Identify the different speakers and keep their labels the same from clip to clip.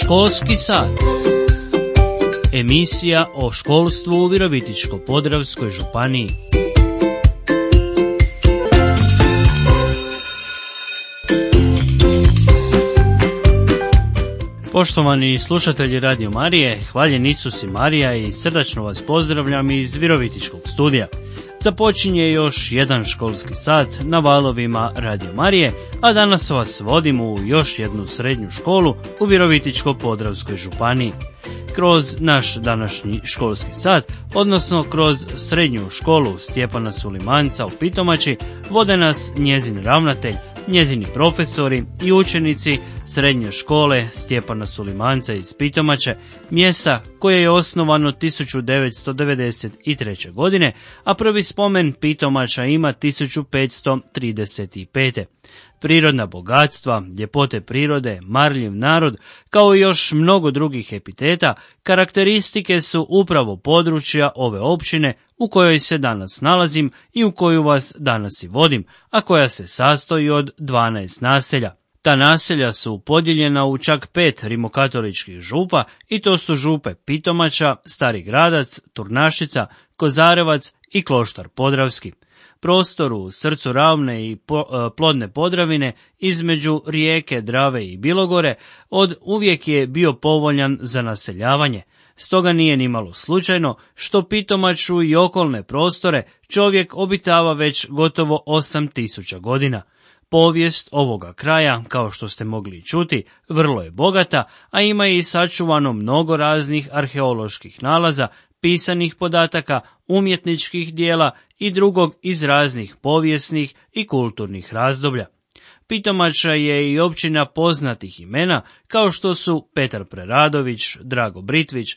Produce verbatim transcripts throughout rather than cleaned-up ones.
Speaker 1: Školski sat. Emisija o školstvu u Virovitičko-podravskoj županiji. Poštovani slušatelji Radio Marije, hvaljen Isus i Marija i srdačno vas pozdravljam iz Virovitičkog studija. Započinje još jedan školski sat na valovima Radio Marije, a danas vas vodimo u još jednu srednju školu u Virovitičko-podravskoj županiji. Kroz naš današnji školski sat, odnosno kroz srednju školu Stjepana Sulimanca u Pitomači, vode nas njezin ravnatelj, njezini profesori i učenici srednje škole Stjepana Sulimanca iz Pitomače, mjesta koje je osnovano tisuću devetsto devedeset treće. godine, a prvi spomen Pitomača ima tisuću petsto trideset pete. Prirodna bogatstva, ljepote prirode, marljiv narod, kao i još mnogo drugih epiteta, karakteristike su upravo područja ove općine u kojoj se danas nalazim i u koju vas danas i vodim, a koja se sastoji od dvanaest naselja. Ta naselja su podijeljena u čak pet rimokatoličkih župa i to su župe Pitomača, Stari Gradac, Turnašica, Kozarevac i Kloštar Podravski. Prostor u srcu ravne i plodne Podravine između rijeke Drave i Bilogore od uvijek je bio povoljan za naseljavanje. Stoga nije nimalo slučajno što Pitomaču i okolne prostore čovjek obitava već gotovo osam tisuća godina. Povijest ovoga kraja, kao što ste mogli čuti, vrlo je bogata, a ima i sačuvano mnogo raznih arheoloških nalaza, pisanih podataka, umjetničkih dijela i drugog iz raznih povijesnih i kulturnih razdoblja. Pitomača je i općina poznatih imena, kao što su Petar Preradović, Drago Britvić,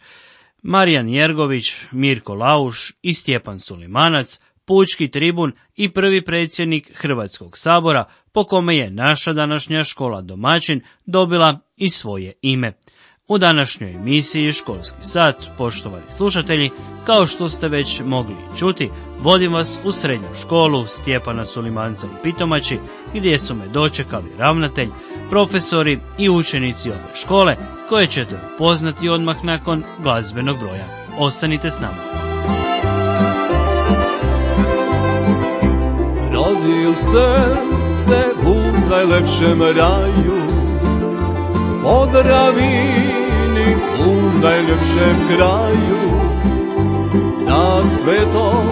Speaker 1: Marijan Jergović, Mirko Lauš i Stjepan Sulimanac, pučki tribun i prvi predsjednik Hrvatskog sabora, po kome je naša današnja škola domaćin dobila i svoje ime. U današnjoj emisiji Školski sat, poštovani slušatelji, kao što ste već mogli čuti, vodim vas u srednju školu Stjepana Sulimanca u Pitomači, gdje su me dočekali ravnatelj, profesori i učenici ove škole, koje ćete upoznati odmah nakon glazbenog broja. Ostanite s nama.
Speaker 2: Rodil sam se u najlepšem raju, Podravini u najljepšem kraju, na Svetom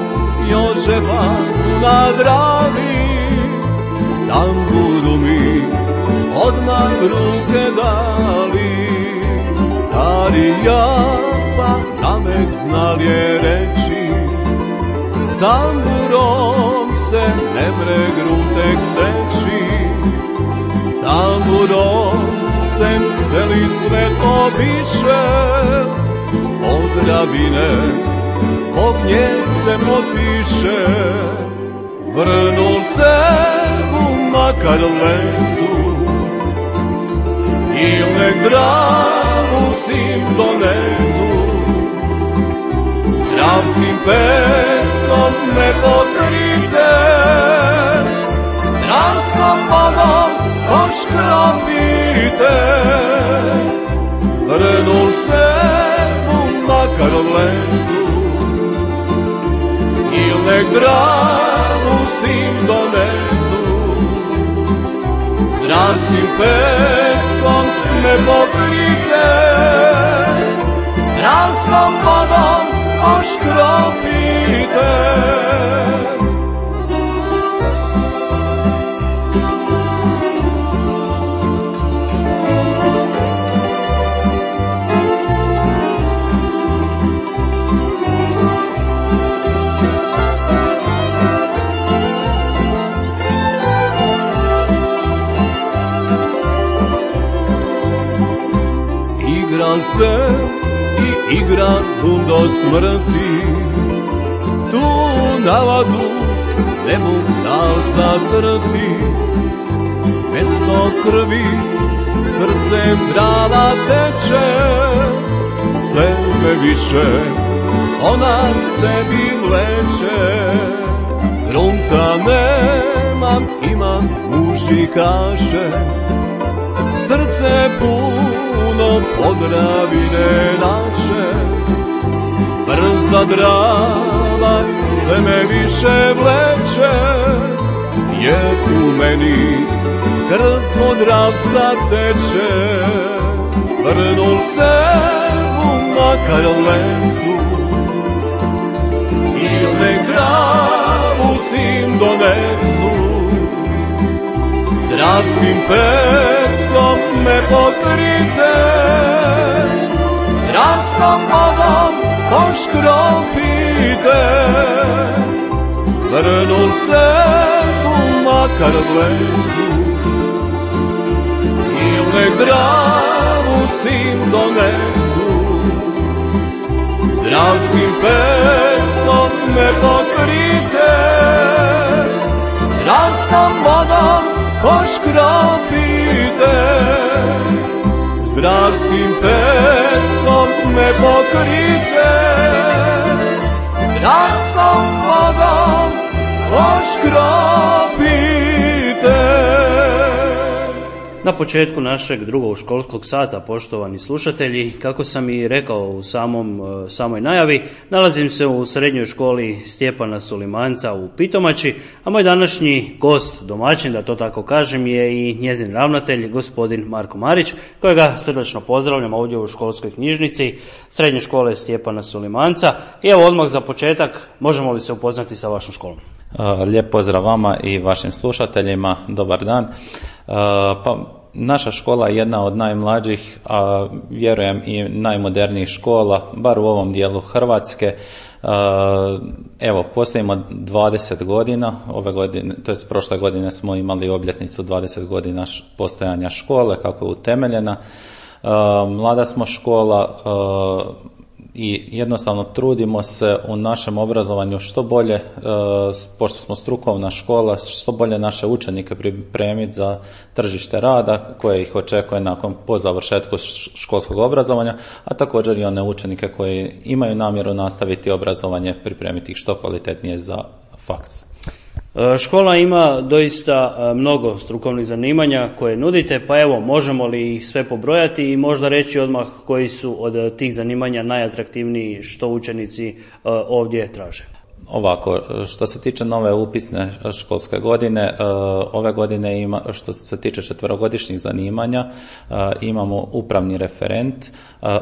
Speaker 2: Jožefa na Dravi, tamburu mi odmah ruke dali. Stari japa namek znal je reći, s tamburom se ne mre grutek steći, s tamburom sem celi svet obiše, s Podravine zbog nje se potpiše. Vrnul se u Makar lesu, i nek Dravu sim donesu, dravskim peskom me pokrite, dravskom vodom oškropite. Vrnul se u Makar lesu, i nek Dravu sim donesu, s dravskim peskom me pokrite, s dravskom vodom oškropite. Igra se i igra do smrti, tu navadu ne mogu dal zadrti. Mesto krvi srcem Drava teče, sve me više ona sebi vleče. Grunta nemam, imam muži kaže, srce puno Podravine naše, brza Drava sve me više vleče, jer u meni krv od rasta teče. Vrnul se u makar lesu, ili kravu sim donesu, zdravskim peskom me pokrite, zdravskom vodom poškropite. Vrnul se u makar lesu, ili Dravu sim donesu, zdravskim peskom me pokrite, zdravskom vodom poškropite. Zdravskim peskom me pokrite, zdravskom vodom poškropite.
Speaker 1: Na početku našeg drugog školskog sata, poštovani slušatelji, kako sam i rekao u samom, samoj najavi, nalazim se u srednjoj školi Stjepana Sulimanca u Pitomači, a moj današnji gost, domaćin, da to tako kažem, je i njezin ravnatelj, gospodin Marko Marić, kojega srdačno pozdravljam ovdje u školskoj knjižnici Srednje škole Stjepana Sulimanca. I evo odmah za početak, možemo li se upoznati sa vašom školom?
Speaker 3: Lijep pozdrav vama i vašim slušateljima, dobar dan. Pa, naša škola je jedna od najmlađih, a vjerujem i najmodernijih škola, bar u ovom dijelu Hrvatske. Evo, postojimo dvadeset godina, ove godine, to jest prošle godine smo imali obljetnicu dvadeset godina postojanja škole, kako je utemeljena. Mlada smo škola i jednostavno trudimo se u našem obrazovanju što bolje, pošto smo strukovna škola, što bolje naše učenike pripremiti za tržište rada koje ih očekuje nakon po završetku školskog obrazovanja, a također i one učenike koji imaju namjeru nastaviti obrazovanje, pripremiti ih što kvalitetnije za faks.
Speaker 1: Škola ima doista mnogo strukovnih zanimanja koje nudite, pa evo, možemo li ih sve pobrojati i možda reći odmah koji su od tih zanimanja najatraktivniji, što učenici ovdje traže?
Speaker 3: Ovako, što se tiče nove upisne školske godine, ove godine ima, što se tiče četverogodišnjih zanimanja, imamo upravni referent,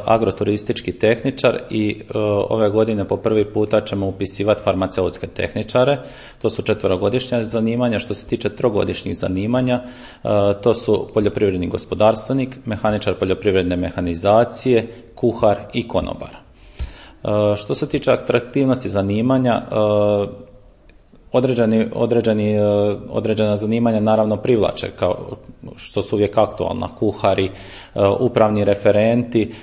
Speaker 3: agroturistički tehničar i ove godine po prvi puta ćemo upisivati farmaceutske tehničare. To su četverogodišnja zanimanja. Što se tiče trogodišnjih zanimanja, to su poljoprivredni gospodarstvenik, mehaničar poljoprivredne mehanizacije, kuhar i konobar. Što se tiče atraktivnosti zanimanja, određeni, određeni, određena zanimanja naravno privlače, kao što su uvijek aktualna, kuhari, upravni referenti,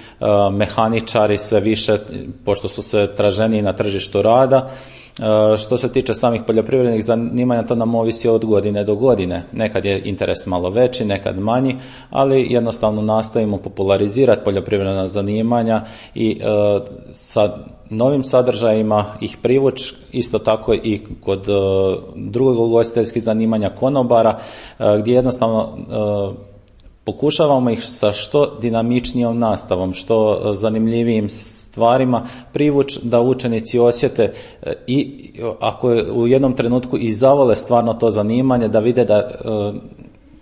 Speaker 3: mehaničari sve više, pošto su sve traženiji na tržištu rada. Što se tiče samih poljoprivrednih zanimanja, to nam ovisi od godine do godine. Nekad je interes malo veći, nekad manji, ali jednostavno nastojimo popularizirati poljoprivredna zanimanja i e, sa novim sadržajima ih privući, isto tako i kod e, drugog ugostiteljskih zanimanja konobara, e, gdje jednostavno e, pokušavamo ih sa što dinamičnijom nastavom, što zanimljivijim stvarima privući da učenici osjete i ako u jednom trenutku i zavole stvarno to zanimanje, da vide da,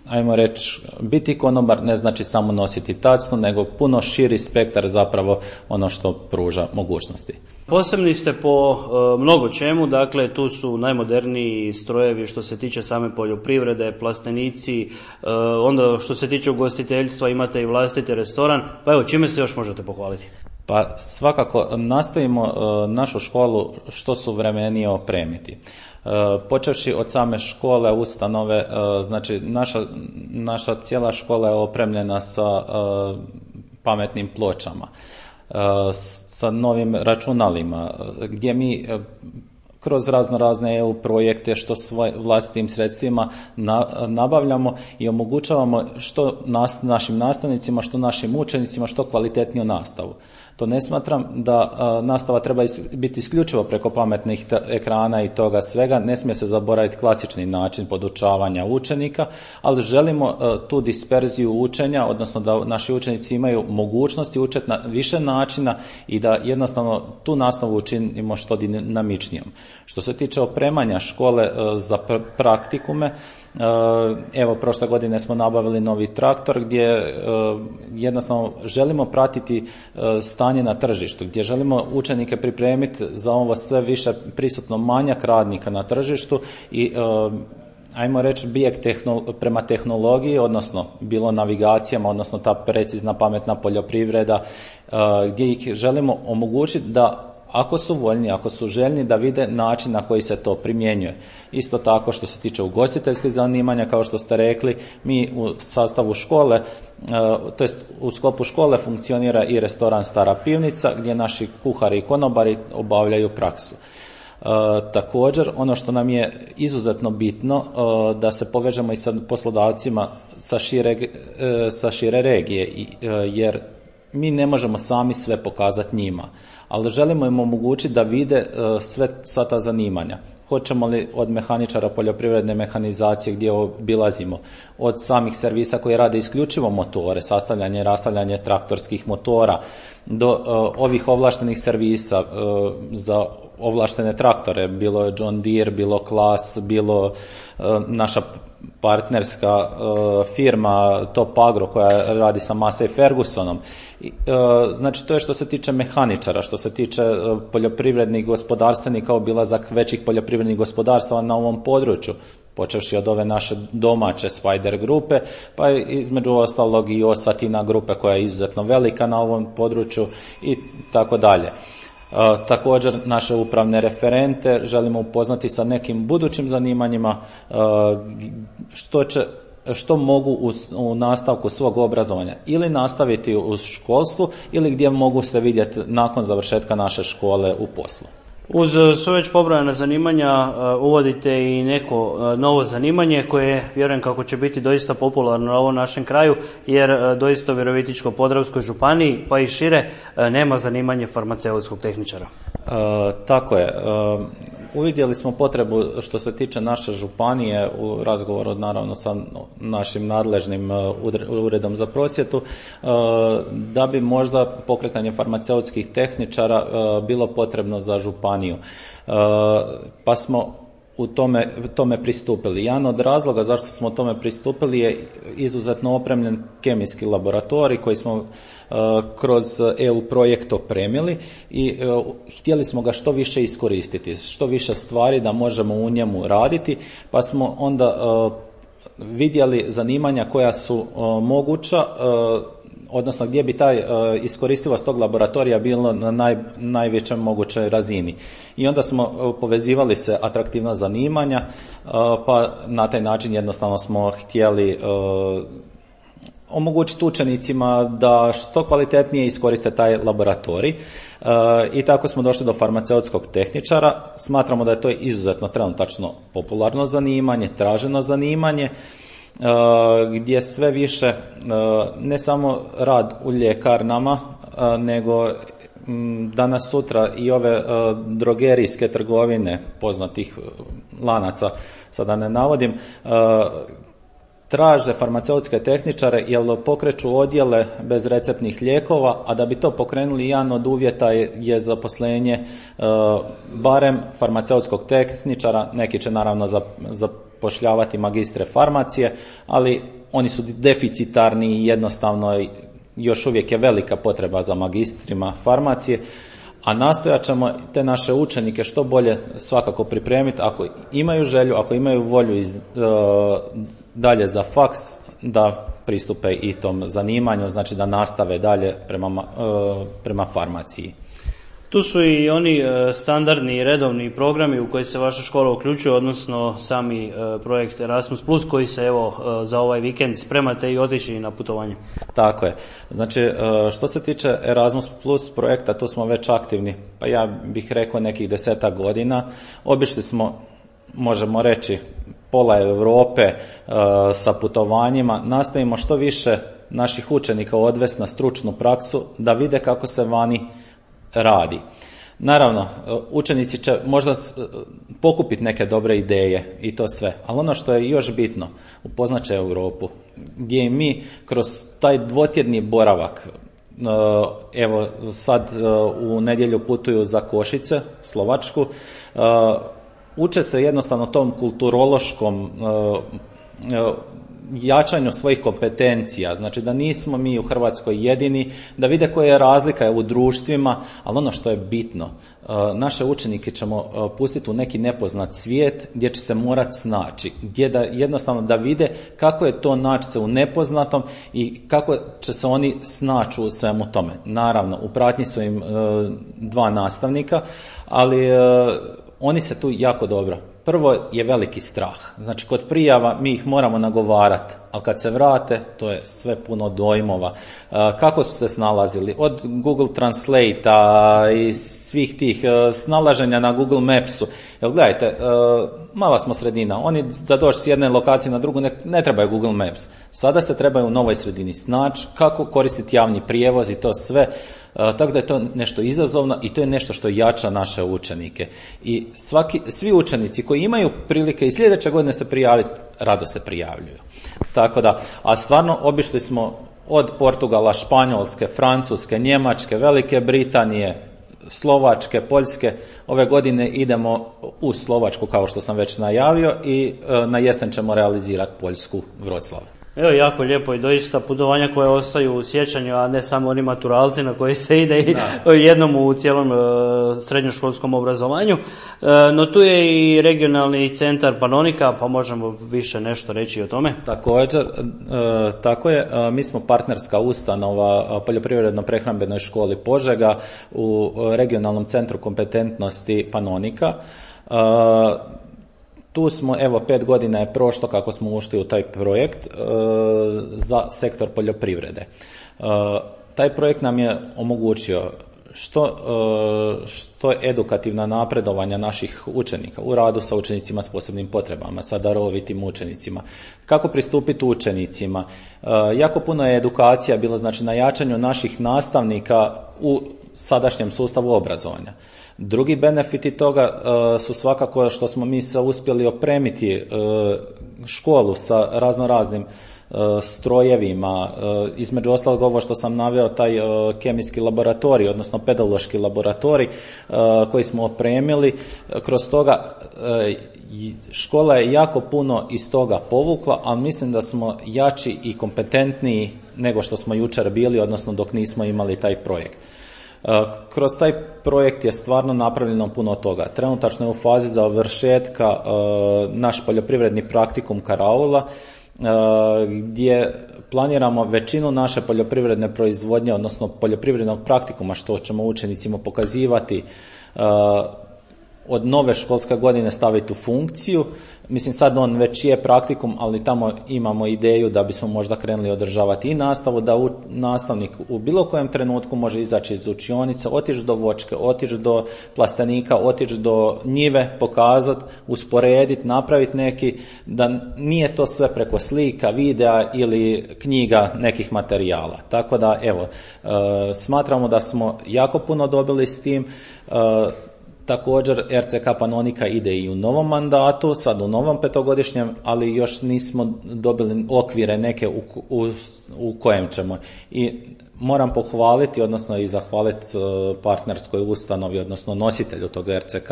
Speaker 3: ajmo reći, biti konobar ne znači samo nositi tacnu, nego puno širi spektar zapravo ono što pruža mogućnosti.
Speaker 1: Posebni ste po e, mnogo čemu, dakle tu su najmoderniji strojevi što se tiče same poljoprivrede, plastenici, e, onda što se tiče ugostiteljstva imate i vlastiti restoran, pa evo čime se još možete pohvaliti?
Speaker 3: Pa svakako nastojimo e, našu školu što suvremenije opremiti. E, počevši od same škole, ustanove, e, znači naša, naša cijela škola je opremljena sa e, pametnim pločama, e, sa novim računalima, gdje mi e, kroz razno razne E U projekte, što svojim vlastitim sredstvima na, nabavljamo i omogućavamo što nas, našim nastavnicima, što našim učenicima, što kvalitetniju nastavu. To ne smatram da a, nastava treba is, biti isključivo preko pametnih t- ekrana i toga svega, ne smije se zaboraviti klasični način podučavanja učenika, ali želimo a, tu disperziju učenja, odnosno da naši učenici imaju mogućnosti učiti na više načina i da jednostavno tu nastavu učinimo što dinamičnijom. Što se tiče opremanja škole a, za pr- praktikume, evo, prošle godine smo nabavili novi traktor gdje jednostavno želimo pratiti stanje na tržištu, gdje želimo učenike pripremiti za ovo sve više prisutno manjak radnika na tržištu i ajmo reći bijeg tehnolo- prema tehnologiji, odnosno bilo navigacijama, odnosno ta precizna pametna poljoprivreda, gdje ih želimo omogućiti da ako su voljni, ako su željni da vide način na koji se to primjenjuje. Isto tako što se tiče ugostiteljskih zanimanja, kao što ste rekli, mi u sastavu škole, to jest u sklopu škole funkcionira i restoran Stara pivnica gdje naši kuhari i konobari obavljaju praksu. E, također, ono što nam je izuzetno bitno, e, da se povežemo i sa poslodavcima sa šire, e, sa šire regije, i, e, jer mi ne možemo sami sve pokazati njima, ali želimo im omogućiti da vide uh, sve, sva ta zanimanja. Hoćemo li od mehaničara poljoprivredne mehanizacije gdje obilazimo, od samih servisa koji rade isključivo motore, sastavljanje i rastavljanje traktorskih motora, do uh, ovih ovlaštenih servisa uh, za ovlaštene traktore, bilo je John Deere, bilo Klas, bilo uh, naša partnerska uh, firma Top Agro koja radi sa Massey Fergusonom. I, uh, znači to je što se tiče mehaničara, što se tiče uh, poljoprivrednih gospodarstvenika, obilazak većih poljoprivrednih gospodarstava na ovom području, počevši od ove naše domaće Spider grupe, pa između ostalog i Osatina grupe koja je izuzetno velika na ovom području i tako dalje. Uh, također naše upravne referente želimo upoznati sa nekim budućim zanimanjima, uh, što će, što mogu u, u nastavku svog obrazovanja ili nastaviti u školstvu ili gdje mogu se vidjeti nakon završetka naše škole u poslu.
Speaker 1: Uz sve već pobrojana zanimanja uvodite i neko novo zanimanje koje vjerujem kako će biti doista popularno na ovom našem kraju, jer doista u Virovitičko-podravskoj županiji pa i šire nema zanimanje farmaceutskog tehničara.
Speaker 3: E, tako je. E, uvidjeli smo potrebu što se tiče naše županije u razgovoru naravno sa našim nadležnim uredom za prosvjetu, e, da bi možda pokretanje farmaceutskih tehničara e, bilo potrebno za županiju. Pa smo u tome, tome pristupili. Jedan od razloga zašto smo tome pristupili je izuzetno opremljen kemijski laboratorij koji smo uh, kroz E U projekt opremili i uh, htjeli smo ga što više iskoristiti, što više stvari da možemo u njemu raditi, pa smo onda uh, vidjeli zanimanja koja su uh, moguća, uh, odnosno gdje bi taj uh, iskoristivost tog laboratorija bilo na naj, najvećoj mogućoj razini. I onda smo uh, povezivali se atraktivna zanimanja, uh, pa na taj način jednostavno smo htjeli uh, omogućiti učenicima da što kvalitetnije iskoriste taj laboratorij. Uh, I tako smo došli do farmaceutskog tehničara. Smatramo da je to izuzetno trenutačno popularno zanimanje, traženo zanimanje, Uh, gdje sve više uh, ne samo rad u ljekarnama, uh, nego um, danas sutra i ove uh, drogerijske trgovine poznatih uh, lanaca, sada ne navodim, uh, traže farmaceutske tehničare jer pokreću odjele bez receptnih lijekova, a da bi to pokrenuli jedan od uvjeta je, je zaposlenje uh, barem farmaceutskog tehničara. Neki će naravno za, zapošljavati magistre farmacije, ali oni su deficitarni i jednostavno još uvijek je velika potreba za magistrima farmacije, a nastojat ćemo te naše učenike što bolje svakako pripremiti ako imaju želju, ako imaju volju iz, uh, dalje za faks, da pristupe i tom zanimanju, znači da nastave dalje prema, uh, prema farmaciji.
Speaker 1: Tu su i oni standardni i redovni programi u koji se vaša škola uključuje, odnosno sami projekt Erasmus plus koji se evo za ovaj vikend spremate i otići na putovanje.
Speaker 3: Tako je. Znači, što se tiče Erasmus plus projekta, tu smo već aktivni, pa ja bih rekao nekih desetak godina. Obišli smo, možemo reći, pola Europe sa putovanjima. Nastojimo što više naših učenika odvesti na stručnu praksu da vide kako se vani radi. Naravno, učenici će možda pokupiti neke dobre ideje i to sve, ali ono što je još bitno, upoznat će Europu, gdje mi kroz taj dvotjedni boravak, evo sad u nedjelju putuju za Košice, Slovačku, uče se jednostavno tom kulturološkom jačanju svojih kompetencija, znači da nismo mi u Hrvatskoj jedini, da vide koja je razlika u društvima, ali ono što je bitno, naše učenike ćemo pustiti u neki nepoznat svijet gdje će se morati snaći, gdje da jednostavno da vide kako je to naći se u nepoznatom i kako će se oni snaći u svemu tome. Naravno, u pratnji su im dva nastavnika, ali oni se tu jako dobro. Prvo je veliki strah. Znači, kod prijava mi ih moramo nagovarati, ali kad se vrate, to je sve puno dojmova. Kako su se snalazili? Od Google Translate-a i svih tih snalaženja na Google Mapsu. Evo, gledajte, mala smo sredina. Oni da doći s jedne lokacije na drugu ne, ne trebaju Google Maps. Sada se trebaju u novoj sredini snaći, kako koristiti javni prijevoz i to sve. Tako da je to nešto izazovno i to je nešto što jača naše učenike. I svaki, svi učenici koji imaju prilike i sljedeće godine se prijaviti, rado se prijavljuju. Tako da, a stvarno obišli smo od Portugala, Španjolske, Francuske, Njemačke, Velike Britanije, Slovačke, Poljske. Ove godine idemo u Slovačku, kao što sam već najavio, i na jesen ćemo realizirati Poljsku, Vroclav.
Speaker 1: Evo, jako lijepo i doista putovanja koje ostaju u sjećanju, a ne samo oni maturalci na koji se ide i jednom u cijelom e, srednjoškolskom obrazovanju. E, no tu je i regionalni centar Panonika, pa možemo više nešto reći o tome.
Speaker 3: Također, e, tako je, e, mi smo partnerska ustanova Poljoprivredno-prehrambenoj školi Požega u regionalnom centru kompetentnosti Panonika. E, Tu smo, evo, pet godina je prošlo kako smo ušli u taj projekt e, za sektor poljoprivrede. E, taj projekt nam je omogućio što, e, što edukativna napredovanja naših učenika u radu sa učenicima s posebnim potrebama, sa darovitim učenicima, kako pristupiti učenicima. E, jako puno je edukacija bilo, znači, na jačanju naših nastavnika u sadašnjem sustavu obrazovanja. Drugi benefiti toga uh, su svakako što smo mi se uspjeli opremiti uh, školu sa razno raznim uh, strojevima, uh, između ostalog ovo što sam naveo, taj uh, kemijski laboratorij, odnosno pedološki laboratorij uh, koji smo opremili. Kroz toga uh, škola je jako puno iz toga povukla, ali mislim da smo jači i kompetentniji nego što smo jučer bili, odnosno dok nismo imali taj projekt. Kroz taj projekt je stvarno napravljeno puno toga. Trenutačno je u fazi završetka naš poljoprivredni praktikum Karaula, gdje planiramo većinu naše poljoprivredne proizvodnje, odnosno poljoprivrednog praktikuma, što ćemo učenicima pokazivati, od nove školske godine staviti u funkciju. Mislim, sad on već je praktikum, ali tamo imamo ideju da bismo možda krenuli održavati i nastavu, da u, nastavnik u bilo kojem trenutku može izaći iz učionice, otići do voćke, otići do plastenika, otići do njive, pokazati, usporediti, napraviti neki, da nije to sve preko slika, videa ili knjiga nekih materijala. Tako da, evo, e, smatramo da smo jako puno dobili s tim. E, Također R C K Panonika ide i u novom mandatu, sad u novom petogodišnjem, ali još nismo dobili okvire neke u, u, u kojem ćemo. I moram pohvaliti, odnosno i zahvaliti partnerskoj ustanovi, odnosno nositelju tog R C K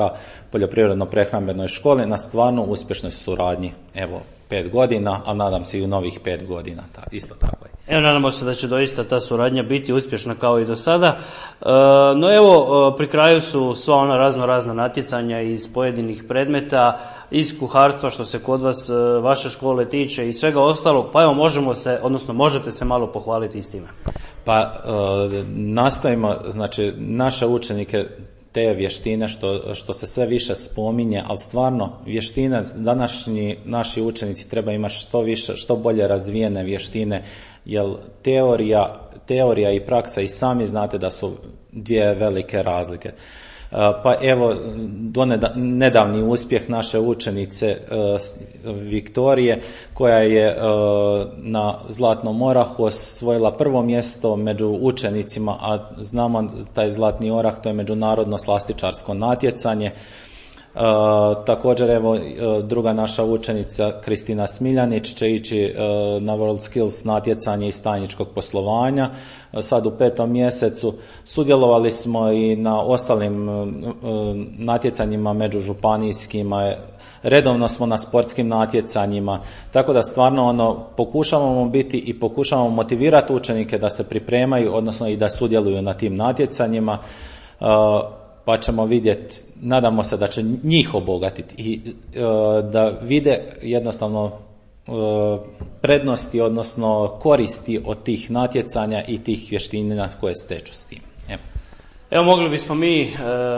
Speaker 3: Poljoprivredno-prehrambenoj školi na stvarno uspješnoj suradnji. Evo, pet godina, a nadam se i u novih pet godina. Ta, isto tako je.
Speaker 1: Evo, nadamo se da će doista ta suradnja biti uspješna kao i do sada. E, no evo, pri kraju su sva ona razno razna natjecanja iz pojedinih predmeta, iz kuharstva što se kod vas, vaše škole tiče i svega ostalo, pa evo možemo se, odnosno možete se malo pohvaliti i s time.
Speaker 3: Pa nastojimo, znači naše učenike te vještine što, što se sve više spominje, ali stvarno vještine, današnji naši učenici treba imati što više, što bolje razvijene vještine, jer teorija, teorija i praksa i sami znate da su dvije velike razlike. Pa evo, nedavni uspjeh naše učenice Viktorije, koja je na Zlatnom orahu osvojila prvo mjesto među učenicima, a znamo taj Zlatni orah, to je međunarodno slastičarsko natjecanje. Uh, također evo druga naša učenica Kristina Smiljanić će ići uh, na World Skills natjecanje iz tajničkog poslovanja uh, sad u petom mjesecu. Sudjelovali smo i na ostalim uh, natjecanjima međužupanijskima, redovno smo na sportskim natjecanjima, tako da stvarno ono pokušavamo biti i pokušavamo motivirati učenike da se pripremaju, odnosno i da sudjeluju na tim natjecanjima. Uh, pa ćemo vidjeti, nadamo se da će njih obogatiti i e, da vide jednostavno e, prednosti, odnosno koristi od tih natjecanja i tih vještina koje steču s tim. Evo,
Speaker 1: Evo mogli bismo mi e,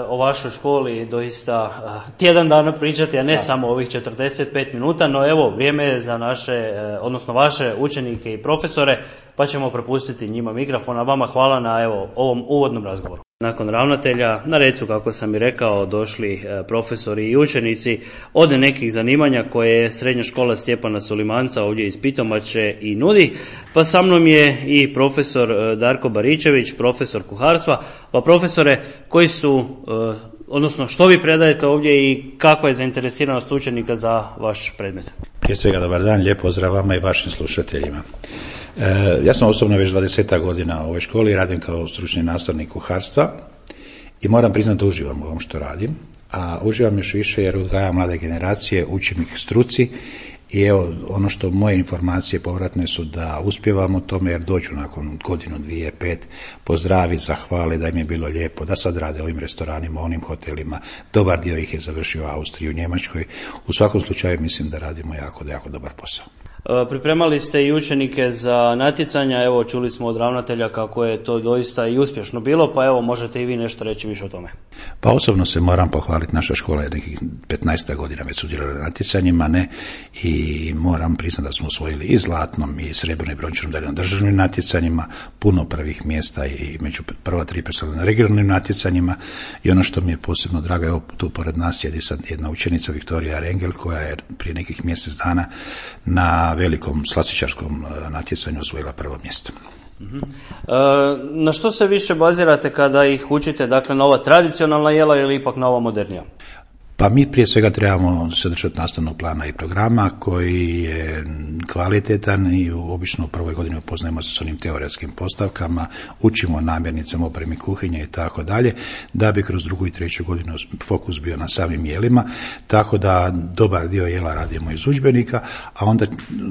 Speaker 1: o vašoj školi doista e, tjedan dana pričati, a ne da. samo ovih četrdeset pet minuta, no evo vrijeme je za naše, e, odnosno vaše učenike i profesore, pa ćemo prepustiti njima mikrofon, a vama hvala na evo ovom uvodnom razgovoru. Nakon ravnatelja, na red su, kako sam i rekao, došli profesori i učenici od nekih zanimanja koje je Srednja škola Stjepana Sulimanca ovdje iz Pitomače i nudi. Pa sa mnom je i profesor Darko Baričević, profesor kuharstva. Pa profesore, koji su, odnosno što vi predajete ovdje i kakva je zainteresiranost učenika za vaš predmet?
Speaker 4: Prije svega dobar dan, lijep pozdrav vama i vašim slušateljima. E, ja sam osobno već dvadesetak godina u ovoj školi, radim kao stručni nastavnik kuharstva i moram priznati da uživam u ovom što radim, a uživam još više jer odgajam mlade generacije, učim ih struci i evo ono što moje informacije povratne su da uspjevamo u tome jer dođu nakon godinu, dvije, pet, pozdravi, zahvali da im je bilo lijepo, da sad rade ovim restoranima, onim hotelima, dobar dio ih je završio u Austriji, u Njemačkoj. U svakom slučaju mislim da radimo jako, jako dobar posao.
Speaker 1: Pripremali ste i učenike za natjecanja, evo čuli smo od ravnatelja kako je to doista i uspješno bilo, pa evo možete i vi nešto reći više o tome.
Speaker 4: Pa osobno se moram pohvaliti, naša škola je nekih petnaest godina već sudjelovala na natjecanjima, ne, i moram priznati da smo osvojili i zlatnom i srebrnom i brončanom medalju na državnim natjecanjima, puno prvih mjesta i među prva tri predstavljena na regionalnim natjecanjima i ono što mi je posebno drago, evo tu pored nas sjedi sad jedna učenica Viktorija Rengel koja je prije nekih mjesec dana na velikom slastičarskom natjecanju osvojila prvo mjesto.
Speaker 1: Uh-huh. E, na što se više bazirate kada ih učite, dakle na ova tradicionalna jela ili ipak na ova modernija?
Speaker 4: Pa mi prije svega trebamo se držati nastavnog plana i programa koji je kvalitetan i obično u prvoj godini upoznajemo se s onim teoretskim postavkama, učimo namirnicama, opremi kuhinje i tako dalje, da bi kroz drugu i treću godinu fokus bio na samim jelima, tako da dobar dio jela radimo iz udžbenika, a onda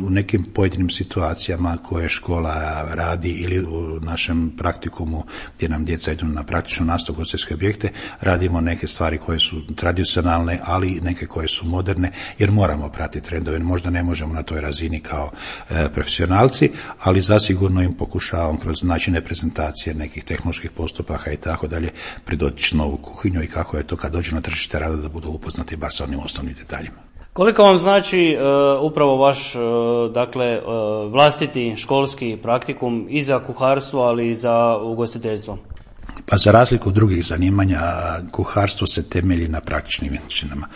Speaker 4: u nekim pojedinim situacijama koje škola radi ili u našem praktikumu gdje nam djeca idu na praktičnu nastavu ugostiteljske objekte, radimo neke stvari koje su tradicionalne, ali i neke koje su moderne, jer moramo pratiti trendove. Možda ne možemo na toj razini kao e, profesionalci, ali zasigurno im pokušavam kroz načine prezentacije nekih tehnoloških postupaka i tako dalje pridoći novu kuhinju i kako je to kad dođu na tržište rada da budu upoznati bar sa onim osnovnim detaljima.
Speaker 1: Koliko vam znači uh, upravo vaš uh, dakle uh, vlastiti školski praktikum i za kuharstvo, ali i za ugostiteljstvo?
Speaker 4: Pa za razliku od drugih zanimanja, kuharstvo se temelji na praktičnim vještinama.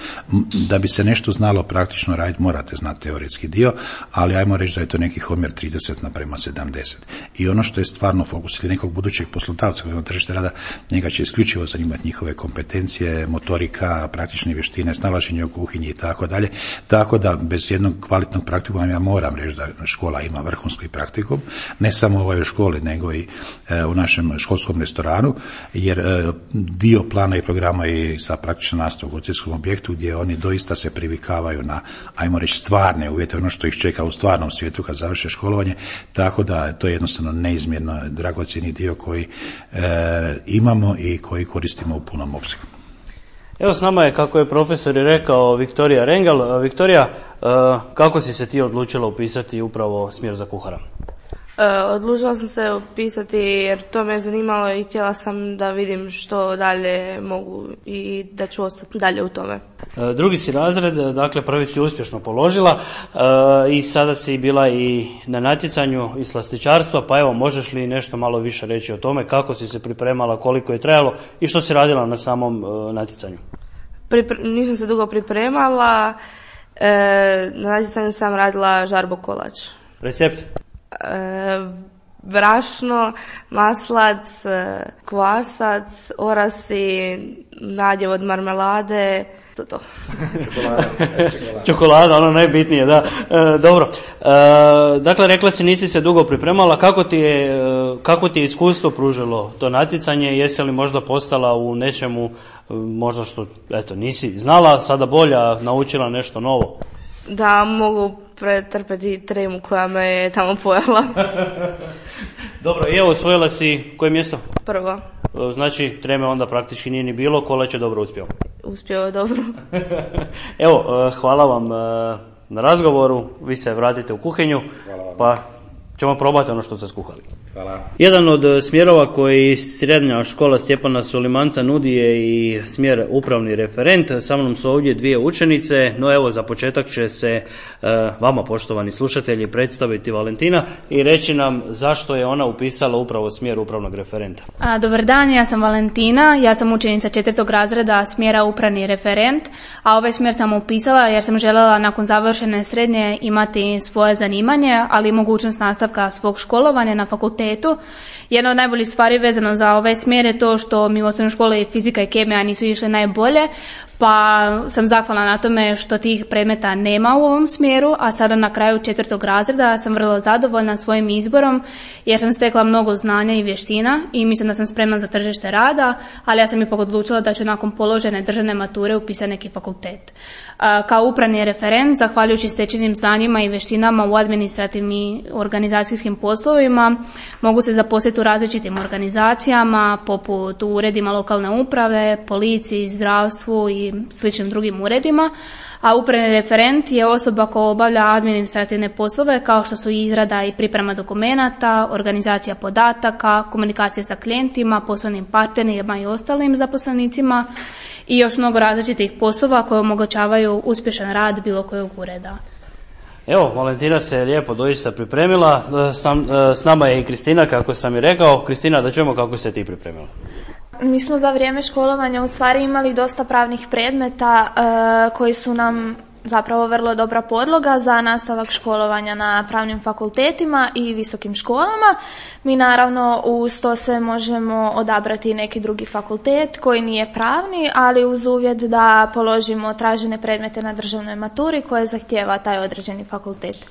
Speaker 4: Da bi se nešto znalo praktično raditi, morate znati teoretski dio, ali ajmo reći da je to neki omjer trideset naprema sedamdeset. I ono što je stvarno fokus ili nekog budućeg poslodavca koji na tržište rada, njega će isključivo zanimati njihove kompetencije, motorika, praktične vještine, snalaženje u kuhinji i tako dalje. Tako da bez jednog kvalitetnog praktikuma ja moram reći da škola ima vrhunski praktikum, ne samo u ovoj školi, nego i e, u našem školskom restoranu, jer e, dio plana i programa je za praktičnu nastavu u ugostiteljskom objektu gdje oni doista se privikavaju na, ajmo reći, stvarne uvjete, ono što ih čeka u stvarnom svijetu kad završe školovanje, tako da to je jednostavno neizmjerno dragocjeni dio koji e, imamo i koji koristimo u punom opsegu.
Speaker 1: Evo s nama je, kako je profesor i rekao, Viktorija Rengel. Viktorija, kako si se ti odlučila upisati upravo smjer za kuhara?
Speaker 5: E, odlučila sam se upisati jer to me zanimalo i htjela sam da vidim što dalje mogu i da ću ostati dalje u tome.
Speaker 1: E, drugi si razred, dakle prvi si uspješno položila e, i sada si bila i na natjecanju iz slastičarstva, pa evo možeš li nešto malo više reći o tome, kako si se pripremala, koliko je trajalo i što si radila na samom e, natjecanju?
Speaker 5: Pripre- nisam se dugo pripremala, e, na natjecanju sam radila žarbo kolač.
Speaker 1: Recept?
Speaker 5: E, brašno, maslac, kvasac, orasi, nadjev od marmelade, to to.
Speaker 1: Čokolada, ono najbitnije, da. E, dobro. E, dakle, rekla si nisi se dugo pripremala. Kako ti je, kako ti je iskustvo pružilo to natjecanje? Jesi li možda postala u nečemu, možda što, eto, nisi znala, sada bolja, naučila nešto novo?
Speaker 5: Da, mogu pretrpeti tremu koja me je tamo pojela.
Speaker 1: Dobro, i evo, osvojila si koje mjesto?
Speaker 5: Prvo.
Speaker 1: Znači, treme onda praktički nije ni bilo, Kolać je dobro uspio.
Speaker 5: Uspio je dobro.
Speaker 1: Evo, hvala vam na razgovoru, vi se vratite u kuhinju, pa ćemo probati ono što ste skuhali.
Speaker 4: Hvala.
Speaker 1: Jedan od smjerova koji srednja škola Stjepana Sulimanca nudi je i smjer upravni referent. Sa mnom su ovdje dvije učenice, no evo za početak će se vama, poštovani slušatelji, predstaviti Valentina i reći nam zašto je ona upisala upravo smjer upravnog referenta.
Speaker 6: A, dobar dan, ja sam Valentina, ja sam učenica četvrtog razreda smjera upravni referent, a ovaj smjer sam upisala jer sam željela nakon završene srednje imati svoje zanimanje, ali i mogućnost nastavka svog školovanja na fakultetu. Jedna od najboljih stvari vezano za ovaj smjer je to što mi u osnovnoj školi fizika i kemija nisu išle najbolje, pa sam zahvalna na tome što tih predmeta nema u ovom smjeru, a sada na kraju četvrtog razreda sam vrlo zadovoljna svojim izborom jer sam stekla mnogo znanja i vještina i mislim da sam spremna za tržište rada, ali ja sam ipak odlučila da ću nakon položene državne mature upisati neki fakultet. Kao upravni referent, zahvaljujući stečenim znanjima i vještinama u administrativnim i organizacijskim poslovima, mogu se zaposliti u različitim organizacijama, poput u uredima lokalne uprave, policiji, zdravstvu i sličnim drugim uredima, a upravni referent je osoba koja obavlja administrativne poslove kao što su izrada i priprema dokumenata, organizacija podataka, komunikacija sa klijentima, poslovnim partnerima i ostalim zaposlenicima i još mnogo različitih poslova koje omogućavaju uspješan rad bilo kojeg ureda.
Speaker 1: Evo, Valentina se lijepo doista pripremila, s nama je i Kristina, kako sam i rekao. Kristina, da čujemo kako se ti pripremila.
Speaker 7: Mi smo za vrijeme školovanja u stvari imali dosta pravnih predmeta e, koji su nam zapravo vrlo dobra podloga za nastavak školovanja na pravnim fakultetima i visokim školama. Mi naravno uz to se možemo odabrati neki drugi fakultet koji nije pravni, ali uz uvjet da položimo tražene predmete na državnoj maturi koje zahtijeva taj određeni fakultet.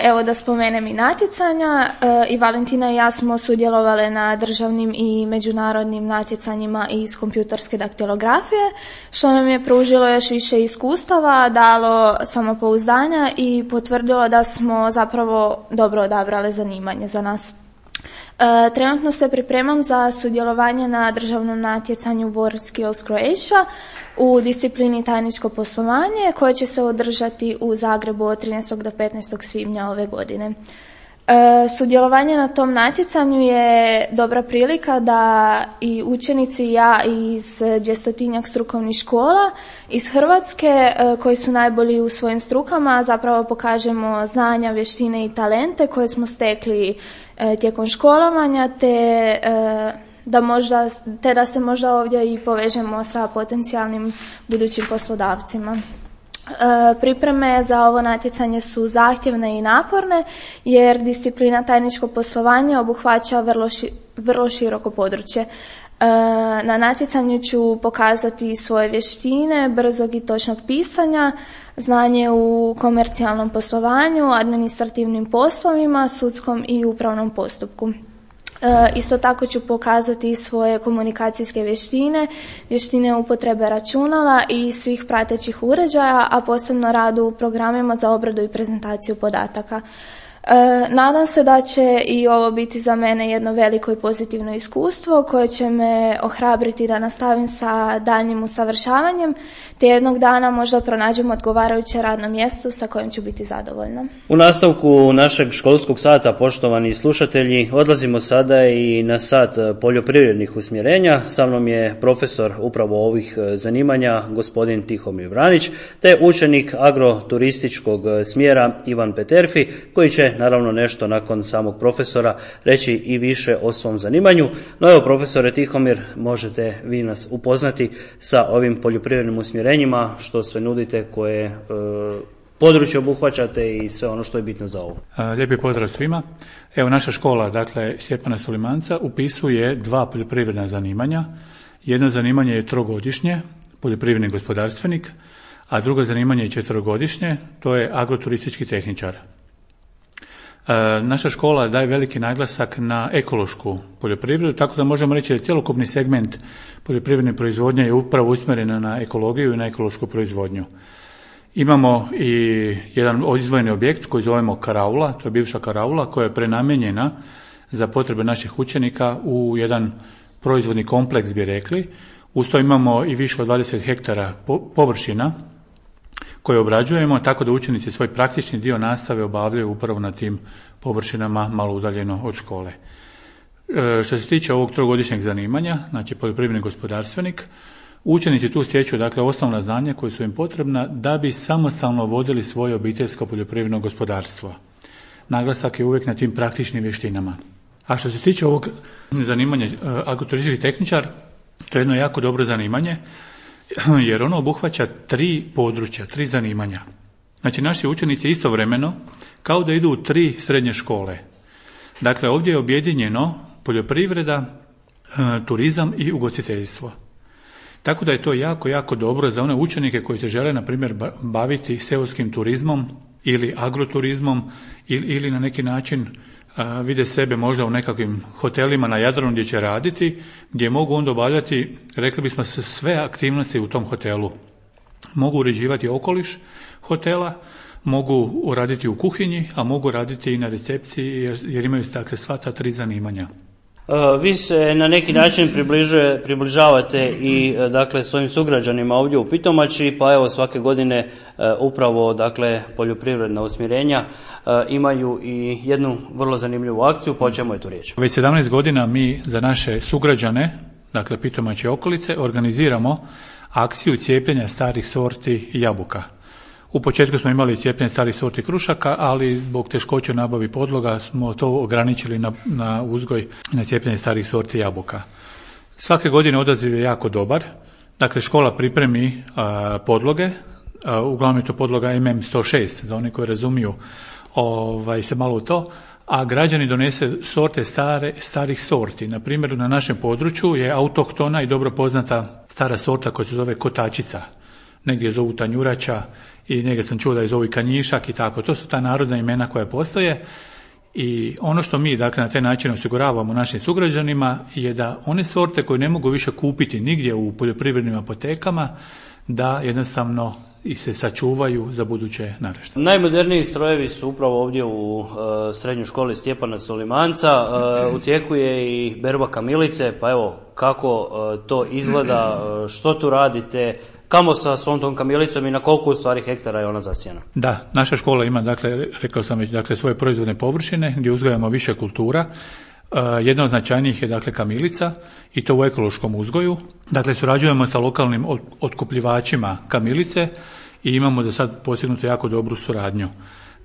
Speaker 7: Evo da spomenem i natjecanja, i Valentina i ja smo sudjelovale na državnim i međunarodnim natjecanjima iz kompjuterske daktilografije, što nam je pružilo još više iskustava, dalo samopouzdanja i potvrdilo da smo zapravo dobro odabrale zanimanje za nas. Trenutno se pripremam za sudjelovanje na državnom natjecanju World Skills Croatia u disciplini tajničko poslovanje koje će se održati u Zagrebu od trinaestog do petnaestog svibnja ove godine. E, sudjelovanje na tom natjecanju je dobra prilika da i učenici i ja iz dvjestotinjak strukovnih škola iz Hrvatske e, koji su najbolji u svojim strukama zapravo pokažemo znanja, vještine i talente koje smo stekli e, tijekom školovanja te e, da možda, te da se možda ovdje i povežemo sa potencijalnim budućim poslodavcima. E, pripreme za ovo natjecanje su zahtjevne i naporne jer disciplina tajničko poslovanje obuhvaća vrlo, ši, vrlo široko područje. E, na natjecanju ću pokazati svoje vještine, brzog i točnog pisanja, znanje u komercijalnom poslovanju, administrativnim poslovima, sudskom i upravnom postupku. E, isto tako ću pokazati svoje komunikacijske vještine, vještine upotrebe računala i svih pratećih uređaja, a posebno radu u programima za obradu i prezentaciju podataka. E, nadam se da će i ovo biti za mene jedno veliko i pozitivno iskustvo koje će me ohrabriti da nastavim sa daljnjim usavršavanjem, te jednog dana možda pronađem odgovarajuće radno mjesto sa kojim ću biti zadovoljna.
Speaker 1: U nastavku našeg školskog sata, poštovani slušatelji, odlazimo sada i na sat poljoprivrednih usmjerenja. Sa mnom je profesor upravo ovih zanimanja, gospodin Tihomir Vranić, te učenik agroturističkog smjera Ivan Peterfi, koji će naravno nešto nakon samog profesora reći i više o svom zanimanju. No evo, profesore Tihomir, možete vi nas upoznati sa ovim poljoprivrednim usmjerenjima, što sve nudite, koje e, područje obuhvaćate i sve ono što je bitno za ovo.
Speaker 8: Lijepi pozdrav svima. Evo, naša škola, dakle Stjepana Solimanca, upisuje dva poljoprivredna zanimanja. Jedno zanimanje je trogodišnje, poljoprivredni gospodarstvenik, a drugo zanimanje je četverogodišnje, to je agroturistički tehničar. E, naša škola daje veliki naglasak na ekološku poljoprivredu, tako da možemo reći da je cjelokupni segment poljoprivredne proizvodnje je upravo usmjeren na ekologiju i na ekološku proizvodnju. Imamo i jedan izdvojeni objekt koji zovemo karaula, to je bivša karaula koja je prenamijenjena za potrebe naših učenika u jedan proizvodni kompleks, bi rekli. Uz to imamo i više od dvadeset hektara površina koje obrađujemo, tako da učenici svoj praktični dio nastave obavljaju upravo na tim površinama malo udaljeno od škole. E, što se tiče ovog trogodišnjeg zanimanja, znači poljoprivredni gospodarstvenik, učenici tu stječu dakle osnovna znanja koja su im potrebna da bi samostalno vodili svoje obiteljsko poljoprivredno gospodarstvo. Naglasak je uvijek na tim praktičnim vještinama. A što se tiče ovog zanimanja agroturistički tehničar, to je jedno jako dobro zanimanje, jer ono obuhvaća tri područja, tri zanimanja. Znači, naši učenici istovremeno kao da idu u tri srednje škole. Dakle, ovdje je objedinjeno poljoprivreda, turizam i ugostiteljstvo. Tako da je to jako, jako dobro za one učenike koji se žele, na primjer, baviti seoskim turizmom ili agroturizmom ili, ili na neki način a, vide sebe možda u nekakvim hotelima na Jadranu gdje će raditi, gdje mogu onda obavljati, rekli bismo, sve aktivnosti u tom hotelu. Mogu uređivati okoliš hotela, mogu raditi u kuhinji, a mogu raditi i na recepciji jer, jer imaju dakle sva ta tri zanimanja.
Speaker 1: Vi se na neki način približuje, približavate i dakle svojim sugrađanima ovdje u Pitomači, pa evo svake godine upravo dakle poljoprivredna usmjerenja imaju i jednu vrlo zanimljivu akciju, pa o čemu je tu riječ?
Speaker 8: Već sedamnaest godina mi za naše sugrađane, dakle Pitomače i okolice, organiziramo akciju cijepljenja starih sorti jabuka. U početku smo imali cijepljenje starih sorti krušaka, ali zbog teškoće u nabavi podloga smo to ograničili na, na uzgoj, na cijepljenje starih sorti jabuka. Svake godine odaziv je jako dobar. Dakle, škola pripremi a, podloge, a, uglavnom je to podloga em em sto šest, za one koji razumiju ovaj, se malo u to, a građani donese sorte stare, starih sorti. Na primjer, na našem području je autohtona i dobro poznata stara sorta koja se zove kotačica. Negdje zovu tanjurača i negdje sam čuo da je zovu kanjišak i tako. To su ta narodna imena koja postoje i ono što mi dakle na taj način osiguravamo našim sugrađanima je da one sorte koje ne mogu više kupiti nigdje u poljoprivrednim apotekama, da jednostavno i se sačuvaju za buduće naraštaje.
Speaker 1: Najmoderniji strojevi su upravo ovdje u uh, srednjoj školi Stjepana Solimanca. Uh, u tijeku je i berba kamilice, pa evo kako uh, to izgleda, uh, što tu radite, kamo sa svom tom kamilicom i na koliko u stvari hektara je ona zasijana?
Speaker 8: Da, naša škola ima, dakle, rekao sam već, dakle, svoje proizvodne površine gdje uzgajamo više kultura. Uh, jedna od značajnijih je dakle kamilica i to u ekološkom uzgoju. Dakle, surađujemo sa lokalnim otkupljivačima kamilice i imamo do sad postignuto jako dobru suradnju.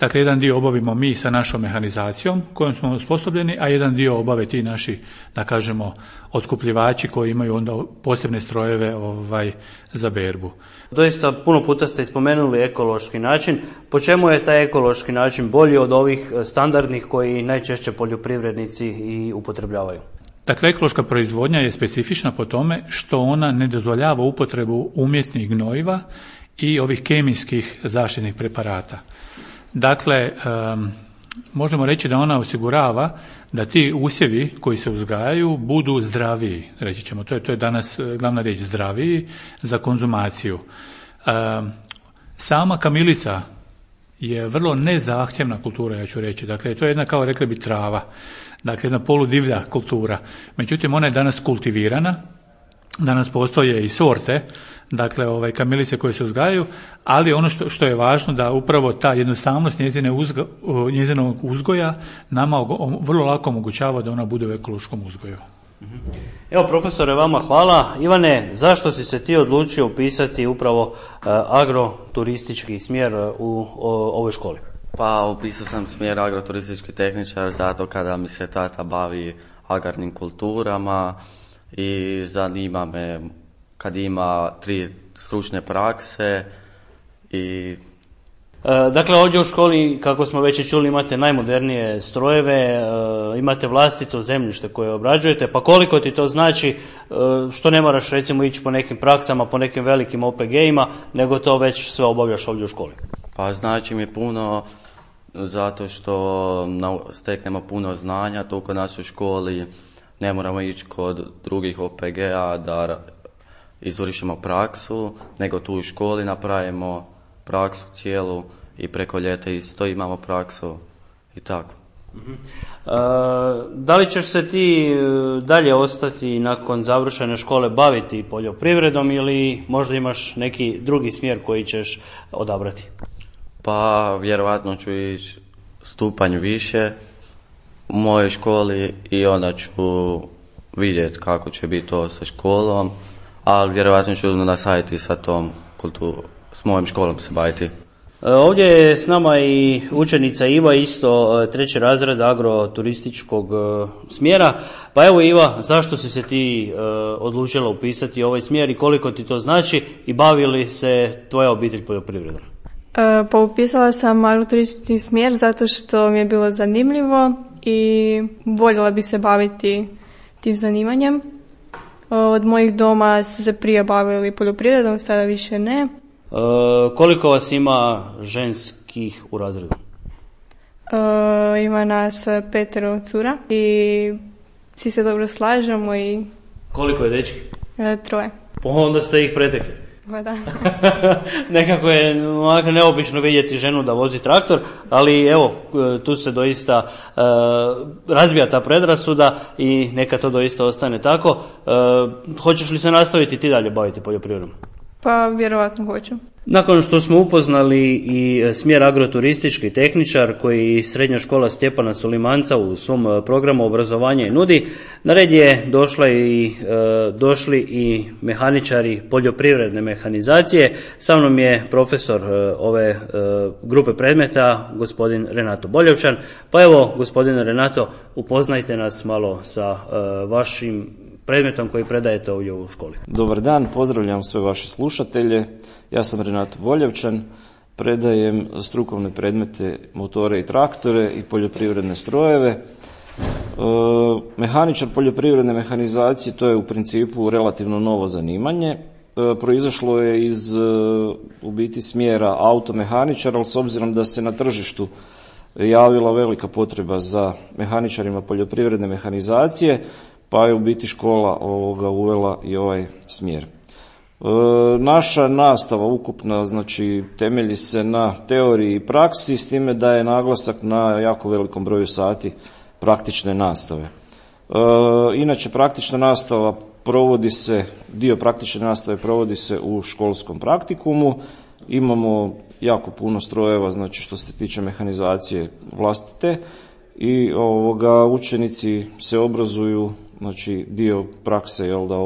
Speaker 8: Dakle, jedan dio obavimo mi sa našom mehanizacijom kojom smo osposobljeni, a jedan dio obave ti naši, da kažemo, otkupljivači koji imaju onda posebne strojeve ovaj, za berbu.
Speaker 1: Doista puno puta ste spomenuli ekološki način. Po čemu je taj ekološki način bolji od ovih standardnih koji najčešće poljoprivrednici i upotrebljavaju?
Speaker 8: Dakle, ekološka proizvodnja je specifična po tome što ona ne dozvoljava upotrebu umjetnih gnojiva i ovih kemijskih zaštitnih preparata. Dakle, um, možemo reći da ona osigurava da ti usjevi koji se uzgajaju budu zdraviji, reći ćemo, to je, to je danas glavna riječ, zdraviji za konzumaciju. Um, sama kamilica je vrlo nezahtjevna kultura, ja ću reći. Dakle, to je jedna, kao rekli bi, trava. Dakle, jedna poludivlja kultura. Međutim, ona je danas kultivirana. Danas postoje i sorte, dakle, ovaj, kamilice koje se uzgajaju, ali ono što, što je važno da upravo ta jednostavnost njezine uzgo, njezinog uzgoja nama vrlo lako omogućava da ona bude u ekološkom uzgoju.
Speaker 1: Evo, profesore, vama hvala. Ivane, zašto si se ti odlučio upisati upravo uh, agroturistički smjer u o, ovoj školi?
Speaker 9: Pa upisao sam smjer agroturistički tehničar zato kada mi se tata bavi agrarnim kulturama i zanima me kad ima tri stručne prakse i...
Speaker 1: Dakle, ovdje u školi, kako smo već čuli, imate najmodernije strojeve, imate vlastito zemljište koje obrađujete, pa koliko ti to znači što ne moraš recimo ići po nekim praksama, po nekim velikim O P G-ima, nego to već sve obavljaš ovdje u školi?
Speaker 9: Pa znači mi puno zato što steknemo puno znanja tu kod nas u školi, ne moramo ići kod drugih O P G-a da izvršimo praksu, nego tu u školi napravimo praksu cijelu i preko ljeta isto imamo praksu i tako.
Speaker 1: Uh-huh. Uh, da li ćeš se ti dalje ostati nakon završene škole baviti poljoprivredom ili možda imaš neki drugi smjer koji ćeš odabrati?
Speaker 9: Pa vjerojatno ću ići stupanj više u mojoj školi i onda ću vidjeti kako će biti to sa školom, ali vjerojatno ću nastaviti sa tom kulturom, s mojom školom se baviti.
Speaker 1: Ovdje je s nama i učenica Iva, isto treći razred agroturističkog smjera. Pa evo Iva, zašto si se ti odlučila upisati ovaj smjer i koliko ti to znači i bavi li se tvoja obitelj poljoprivredom?
Speaker 10: Pa upisala sam agroturistički smjer zato što mi je bilo zanimljivo i voljela bi se baviti tim zanimanjem. Od mojih doma su se prije bavili poljoprivredom, sada više ne.
Speaker 1: E, koliko vas ima ženskih u razredu?
Speaker 10: E, ima nas petero cura i svi se dobro slažemo i...
Speaker 1: Koliko je dečki?
Speaker 10: E, troje.
Speaker 1: Pa onda ste ih pretekli.
Speaker 10: Pa da.
Speaker 1: Nekako je ovako neobično vidjeti ženu da vozi traktor, ali evo, tu se doista e, razbija ta predrasuda i neka to doista ostane tako. E, hoćeš li se nastaviti ti dalje baviti poljoprivredom?
Speaker 10: Pa vjerovatno hoću.
Speaker 1: Nakon što smo upoznali i smjer agroturistički tehničar koji srednja škola Stjepana Sulimanca u svom programu obrazovanja i nudi, na red je došla i, e, došli i mehaničari poljoprivredne mehanizacije. Sa mnom je profesor e, ove e, grupe predmeta, gospodin Renato Boljevčan. Pa evo, gospodine Renato, upoznajte nas malo sa e, vašim predmetom koji predajete ovdje u školi.
Speaker 11: Dobar dan, pozdravljam sve vaše slušatelje. Ja sam Renato Boljevčan, predajem strukovne predmete motore i traktore i poljoprivredne strojeve. E, mehaničar poljoprivredne mehanizacije, to je u principu relativno novo zanimanje. E, proizašlo je iz e, u biti smjera automehaničar, ali s obzirom da se na tržištu javila velika potreba za mehaničarima poljoprivredne mehanizacije, pa je u biti škola ovoga uvela i ovaj smjer. E, naša nastava ukupna, znači, temelji se na teoriji i praksi, s time da je naglasak na jako velikom broju sati praktične nastave. E, inače, praktična nastava provodi se, dio praktične nastave provodi se u školskom praktikumu. Imamo jako puno strojeva, znači što se tiče mehanizacije vlastite, i ovoga učenici se obrazuju, znači dio prakse, jel da,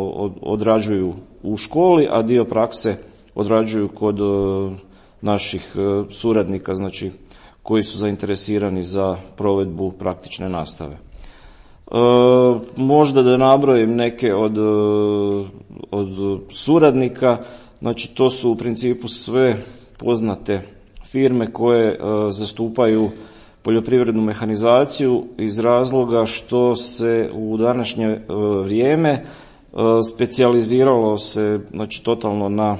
Speaker 11: odrađuju u školi, a dio prakse odrađuju kod uh, naših uh, suradnika, znači koji su zainteresirani za provedbu praktične nastave. Uh, možda da nabrojim neke od, uh, od suradnika, znači to su u principu sve poznate firme koje uh, zastupaju poljoprivrednu mehanizaciju iz razloga što se u današnje vrijeme specijaliziralo se, znači, totalno na,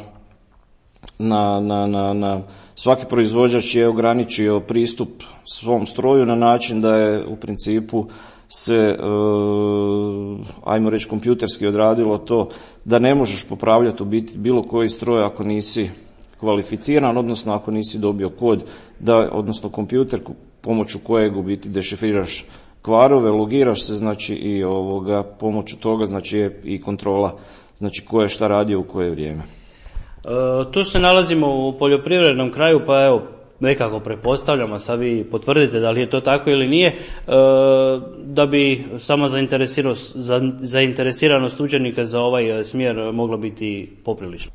Speaker 11: na, na, na, na svaki proizvođač je ograničio pristup svom stroju na način da je u principu se, ajmo reći, kompjuterski odradilo to da ne možeš popravljati u biti bilo koji stroj ako nisi kvalificiran, odnosno ako nisi dobio kod, da, odnosno kompjuter pomoću kojeg u biti dešifriraš kvarove, logiraš se, znači i ovoga, pomoću toga znači je i kontrola, znači ko je šta radio u koje vrijeme.
Speaker 1: E, tu se nalazimo u poljoprivrednom kraju, pa evo, nekako pretpostavljamo, sad vi potvrdite da li je to tako ili nije, e, da bi sama zainteresiranost, za, zainteresiranost učenika za ovaj smjer mogla biti poprilična.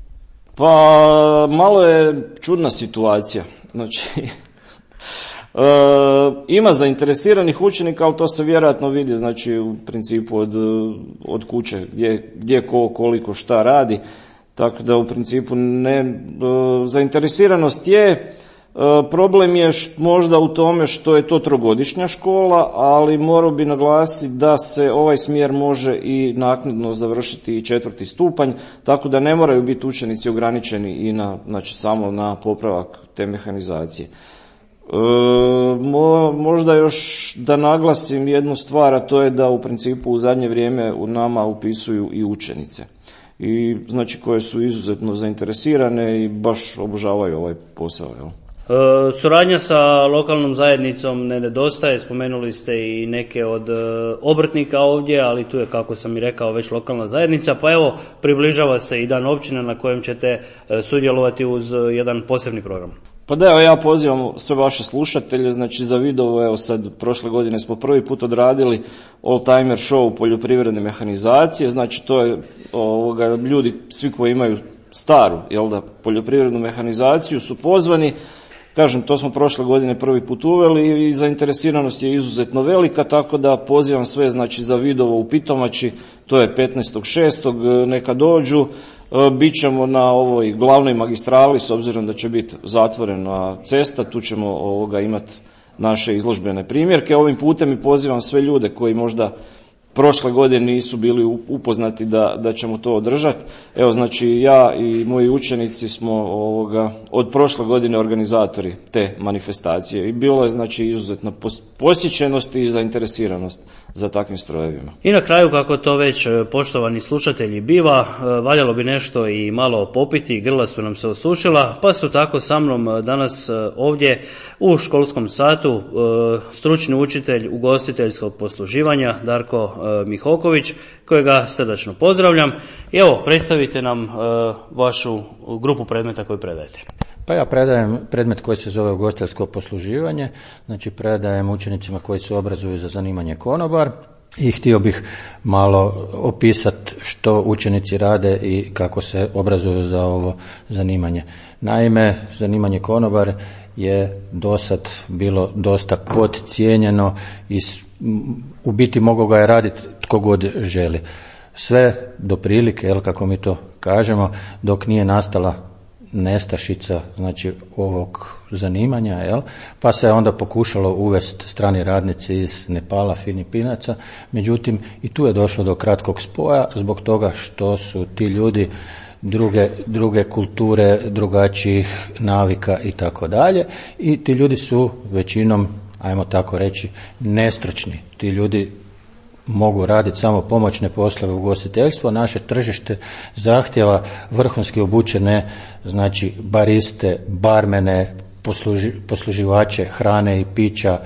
Speaker 11: Pa malo je čudna situacija, znači e, ima zainteresiranih učenika, ali to se vjerojatno vidi, znači u principu od, od kuće gdje, gdje ko koliko šta radi, tako da u principu ne, e, zainteresiranost je. Problem je možda u tome što je to trogodišnja škola, ali morao bi naglasiti da se ovaj smjer može i naknadno završiti i četvrti stupanj, tako da ne moraju biti učenici ograničeni i na, znači samo na popravak te mehanizacije. E, mo, možda još da naglasim jednu stvar, a to je da u principu u zadnje vrijeme u nama upisuju i učenice. I znači koje su izuzetno zainteresirane i baš obožavaju ovaj posao, jel?
Speaker 1: E, suradnja sa lokalnom zajednicom ne nedostaje, spomenuli ste i neke od e, obrtnika ovdje, ali tu je, kako sam i rekao, već lokalna zajednica, pa evo, približava se i dan općine na kojem ćete e, sudjelovati uz jedan posebni program.
Speaker 11: Pa da, evo ja pozivam sve vaše slušatelje, znači za video, evo sad prošle godine smo prvi put odradili all-timer show poljoprivredne mehanizacije, znači to je ovoga, ljudi, svi koji imaju staru, jel da, poljoprivrednu mehanizaciju su pozvani. Kažem, to smo prošle godine prvi put uveli i zainteresiranost je izuzetno velika, tako da pozivam sve, znači za Vidovo u Pitomači, to je petnaestog šestog neka dođu, bit ćemo na ovoj glavnoj magistrali, s obzirom da će biti zatvorena cesta, tu ćemo ovoga imati naše izložbene primjerke. Ovim putem i pozivam sve ljude koji možda prošle godine nisu bili upoznati da, da ćemo to održati. Evo, znači ja i moji učenici smo ovoga, od prošle godine organizatori te manifestacije i bilo je znači izuzetna posjećenost i zainteresiranost za takvim strojevima. I
Speaker 1: na kraju, kako to već poštovani slušatelji biva, valjalo bi nešto i malo popiti, grla su nam se osušila, pa su tako sa mnom danas ovdje u školskom satu stručni učitelj ugostiteljskog posluživanja Darko Mihoković, kojega srdačno pozdravljam. I evo, predstavite nam vašu grupu predmeta koju predajete.
Speaker 12: Pa ja predajem predmet koji se zove ugostiteljsko posluživanje, znači predajem učenicima koji se obrazuju za zanimanje konobar i htio bih malo opisati što učenici rade i kako se obrazuju za ovo zanimanje. Naime, zanimanje konobar je dosad bilo dosta podcijenjeno i u biti mogao ga je raditi tko god želi. Sve do prilike, jel, kako mi to kažemo, dok nije nastala nestašica, znači ovog zanimanja, jel? Pa se onda pokušalo uvesti strani radnici iz Nepala, Filipinaca, međutim i tu je došlo do kratkog spoja zbog toga što su ti ljudi druge, druge kulture, drugačijih navika i tako dalje i ti ljudi su većinom, ajmo tako reći, nestručni. Ti ljudi mogu raditi samo pomoćne poslove u ugostiteljstvu. Naše tržište zahtjeva vrhunski obučene, znači bariste, barmene, posluži, posluživače hrane i pića,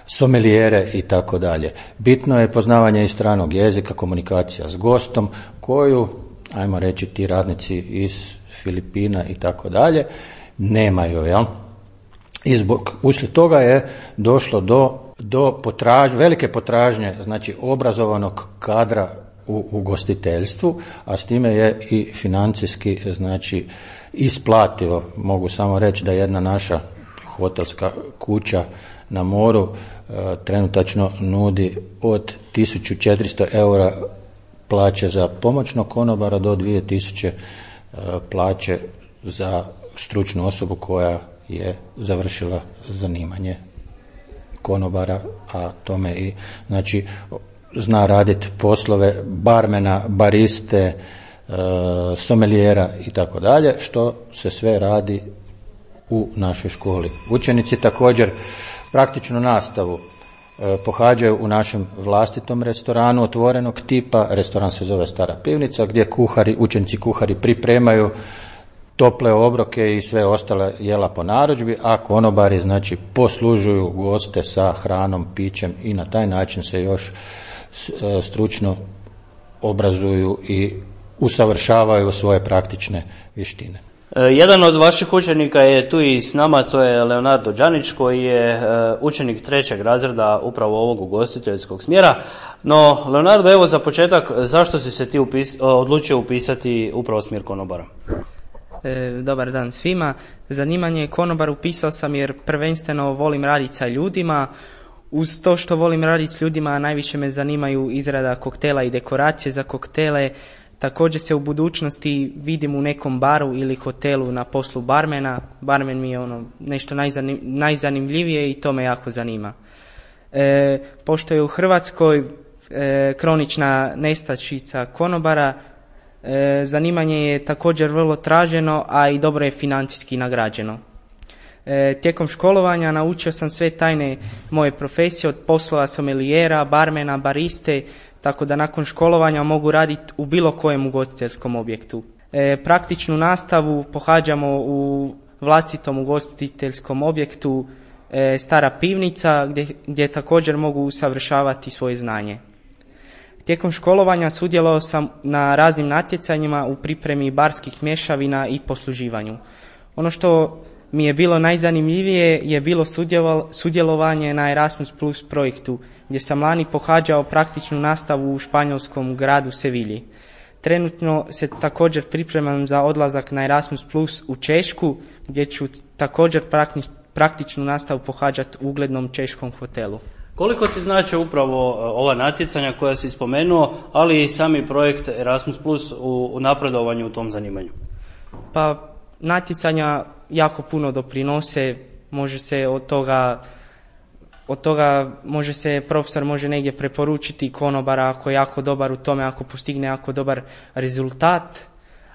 Speaker 12: somelijere i tako dalje. Bitno je poznavanje i stranog jezika, komunikacija s gostom koju, ajmo reći, ti radnici iz Filipina i tako dalje nemaju, jel? I zbog, uslijed toga je došlo do do potraž, velike potražnje, znači obrazovanog kadra u ugostiteljstvu, a s time je i financijski, znači, isplativo. Mogu samo reći da jedna naša hotelska kuća na moru e, trenutačno nudi od tisuću četiristo eura plaće za pomoćnog konobara do dvije tisuće e, plaće za stručnu osobu koja je završila zanimanje konobara, a tome i, znači, zna raditi poslove barmena, bariste, e, somelijera i tako dalje, što se sve radi u našoj školi. Učenici također praktičnu nastavu e, pohađaju u našem vlastitom restoranu otvorenog tipa. Restoran se zove Stara pivnica, gdje kuhari, učenici kuhari pripremaju tople obroke i sve ostale jela po narudžbi, a konobari znači poslužuju goste sa hranom, pićem i na taj način se još stručno obrazuju i usavršavaju svoje praktične vještine.
Speaker 1: Jedan od vaših učenika je tu i s nama, to je Leonardo Đanić, koji je učenik trećeg razreda upravo ovog ugostiteljskog smjera. No, Leonardo, evo za početak, zašto si se ti upis, odlučio upisati upravo smjer konobara?
Speaker 13: E, dobar dan svima. Zanimanje konobar upisao sam jer prvenstveno volim raditi sa ljudima. Uz to što volim raditi s ljudima, najviše me zanimaju izrada koktela i dekoracije za koktele. Također se u budućnosti vidim u nekom baru ili hotelu na poslu barmena. Barmen mi je ono nešto najzanim, najzanimljivije i to me jako zanima. E, pošto je u Hrvatskoj e, kronična nestašica konobara, e, zanimanje je također vrlo traženo, a i dobro je financijski nagrađeno. E, tijekom školovanja naučio sam sve tajne moje profesije, od poslova somelijera, barmena, bariste, tako da nakon školovanja mogu raditi u bilo kojem ugostiteljskom objektu. E, praktičnu nastavu pohađamo u vlastitom ugostiteljskom objektu e, Stara pivnica, gdje, gdje također mogu usavršavati svoje znanje. Tijekom školovanja sudjelovao sam na raznim natjecanjima u pripremi barskih mješavina i posluživanju. Ono što mi je bilo najzanimljivije je bilo sudjelovanje na Erasmus Plus projektu, gdje sam lani pohađao praktičnu nastavu u španjolskom gradu Sevilji. Trenutno se također pripremam za odlazak na Erasmus Plus u Češku, gdje ću također praktičnu nastavu pohađati u uglednom češkom hotelu.
Speaker 1: Koliko ti znači upravo ova natjecanja koja si spomenuo, ali i sami projekt Erasmus Plus u, u napredovanju u tom zanimanju?
Speaker 13: Pa natjecanja jako puno doprinose, može se od toga, od toga može se profesor može negdje preporučiti konobara ako je jako dobar u tome, ako postigne jako dobar rezultat.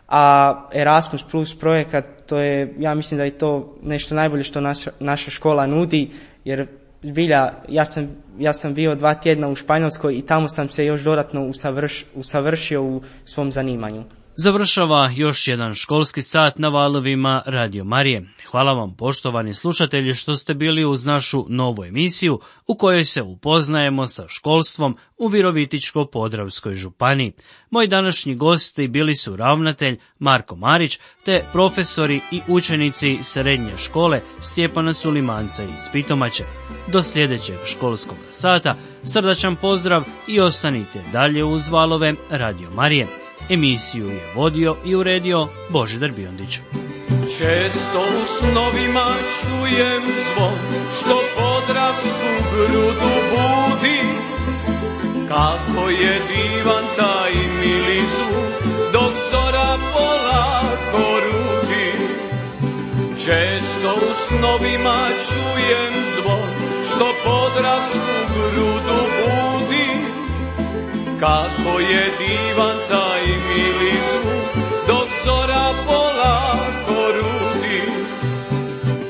Speaker 13: A Erasmus Plus projekat, to je, ja mislim da je to nešto najbolje što naša, naša škola nudi, jer zbilja, ja sam, ja sam bio dva tjedna u Španjolskoj i tamo sam se još dodatno usavrš, usavršio u svom zanimanju.
Speaker 1: Završava još jedan školski sat na valovima Radio Marije. Hvala vam, poštovani slušatelji, što ste bili uz našu novu emisiju u kojoj se upoznajemo sa školstvom u Virovitičko-podravskoj županiji. Moji današnji gosti bili su ravnatelj Marko Marić te profesori i učenici srednje škole Stjepana Sulimanca iz Pitomače. Do sljedećeg školskog sata srdačan pozdrav i ostanite dalje uz valove Radio Marije. Emisiju je vodio i uredio Božidar Biondić.
Speaker 2: Često u snovima čujem zvon što podravsku grudu budi, kako je divan taj mili zvuk dok zora polako rudi. Često u snovima čujem zvon što podravsku grudu budi, kako je divan taj mili zvuk dok zora polako rudi.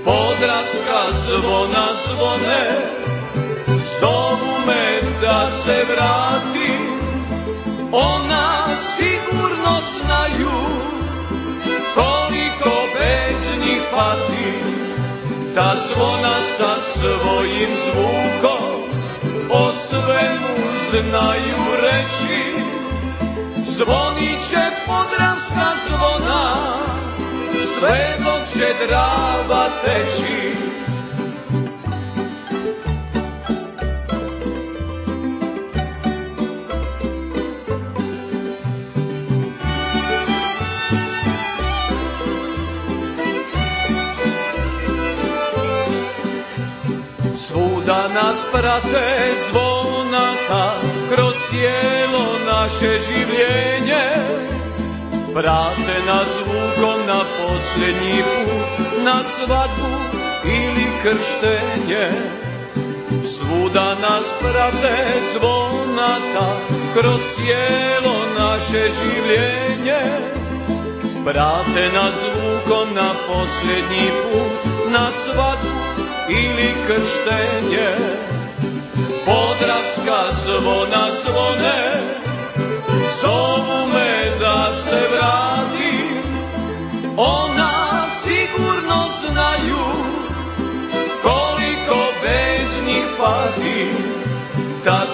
Speaker 2: Podravska zvona zvone, zovu me da se vratim, ona sigurno znaju koliko bez njih patim. Ta zvona sa svojim zvukom o svemu znaju reći, zvonit će podravska zvona sve dok će Drava teći. Svuda nas prate zvonata kroz cijelo naše življenje, prate nas zvukom na posljednji put, na svadbu ili krštenje. Svuda nas prate zvonata kroz cijelo naše življenje, prate nas zvukom na posljednji put, na svadbu ili krštenje. Podravska zvona zvone, zovu me da se vratim, ona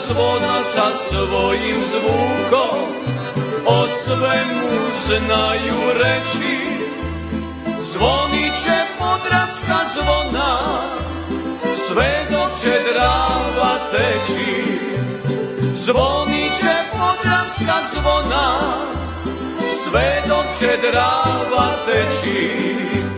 Speaker 2: zvona sa svojim zvukom o svemu znaju reći. Zvonit će podravska zvona sve dok će Drava teći. Zvonit će podravska zvona sve dok će Drava teći.